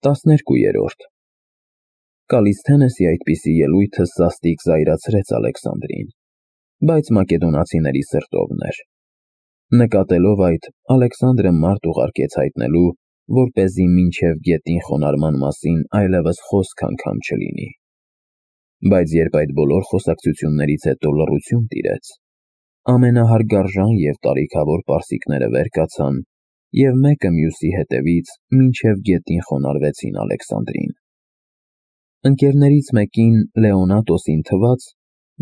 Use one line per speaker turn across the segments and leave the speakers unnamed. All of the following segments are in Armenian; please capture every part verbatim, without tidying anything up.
տասներկուերորդ Կալիսթենեսի այդպիսի ելույթը սաստիկ զայրացրեց Ալեքսանդրին, բայց մակեդոնացիների սրտովն էր։ Նկատելով այդ, Ալեքսանդրը մարդ ուղարկեց հայտնելու, որպեսզի մինչև գետին խոնարհման մասին այլևս խոսք անգամ չլինի։ Բայց երբ այդ բոլոր խոսակցություններից հետո լռություն տիրեց, ամենահարգարժան և տարիքավոր պարսիկները վեր կացան և մեկը մյուսի հետևից մինչև գետին խոնարհվեցին Ալեքսանդրին։ Ընկերներից մեկին Լեոնատոսին թվաց,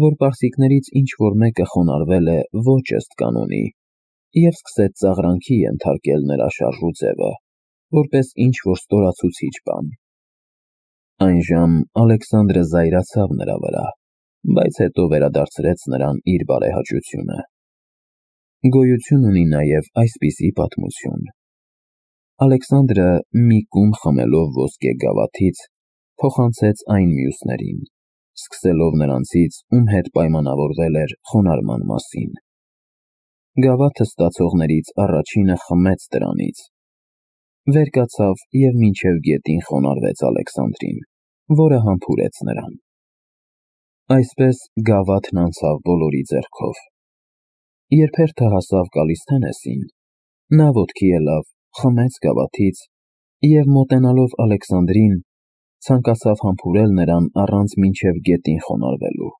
որ պարսիկներից ինչ-որ մեկը խոնարհվել է ոչ ըստ կանոնի և սկսեց ծաղրանքի ենթարկել նրա շարժու ձևը, որպես ինչ-որ ստորացուցիչ բան։ Այնժամ Ալեքսանդրը զայրացավ նրա վրա, բայց հետո վերադարձրեց նրան իր բարեհաճությունը։ Գոյություն ունի նաև այսպիսի պատմություն. Ալեքսանդրը մի կում խմելով ոսկե գավաթից, փոխանցեց այն մյուսներին, սկսելով նրանցից, ում հետ պայմանավորվել էր խոնարհման մասին։ Գավաթը ստացողներից առաջինը խմեց դրանից, վեր կացավ և մինչև գետին խոնարհվեց Ալեքսանդրին, որը համբուրեց նրան։ Այսպես գավաթն անցավ բոլորի ձեռքով։ Երբ հերթը հասավ Կալիսթենեսին, նա ոտքի ելավ, խմեց գավաթից և մոտենալով Ալեքսանդրին, ցանկացավ համբուրել նրան առանց մինչև գետին խոնարհվելու։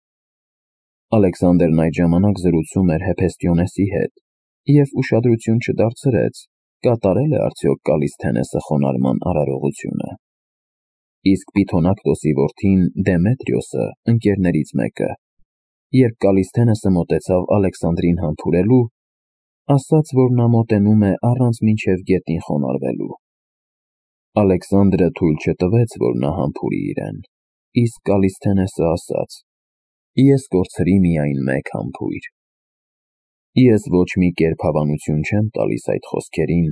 Ալեքսանդրն այդ ժամանակ զրուցում էր Հեփեստիոնեսի հետ և ուշադրություն չդարձրեց, կատարել է արդյոք Կալիսթենեսը խոնարհման արարողությունը։ Իսկ Պիթոնակտոսի որդին Դեմետրիոսը, ընկերներից մեկը, երբ Կալիսթենեսը մոտեցավ Ալեքսանդրին համբուրելու, ասաց, որ նա մոտենում է առանց մինչև գետին խոնարհվելու։ Ալեքսանդրը թույլ չտվեց, որ նա համբուրի իրեն, իսկ Կալիսթենեսը ասաց. «Ես կորցրի միայն մեկ համբույր»։ Ես ոչ մի կերպ հավանություն չեմ տալիս այդ խոսքերին,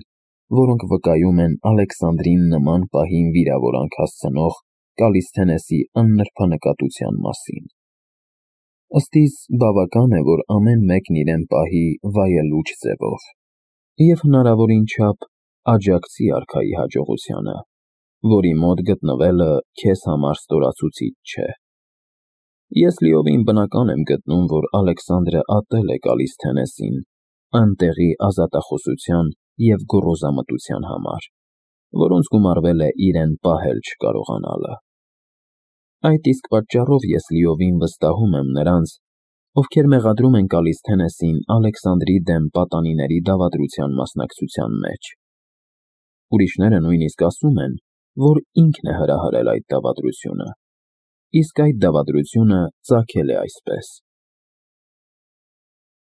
որոնք վկայում են Ալեքսանդրին նման պահին վիրավորանք հասցնող Կալիսթենեսի աննրբանկատության մասին։ Ըստիս բավական է, որ ամեն մեկն իրեն պահի վայելուչ ձևով և հնարավորին չափ աջակցի արքայի հաջողությանը, որի մոտ գտնվելը քեզ համար ստորացուցիչ չէ։ Ես լիովին բնական եմ գտնում, որ Ալեքսանդրը ատել է Կալիսթենեսին անտեղի ազատախոսության և գոռոզամտության համար, որոնց գումարվել է իրեն պահել չկարողանալը։ Այդ իսկ պատճառով ես լիովին վստահում եմ նրանց, ովքեր մեղադրում են Կալիսթենեսին Ալեքսանդրի դեմ պատանիների դավադրության մասնակցության մեջ։ Ուրիշները նույնիսկ ասում են, որ ինքն է հրահրել այդ դավադրությունը, իսկ այդ դավադրությունը ծագել է այսպես։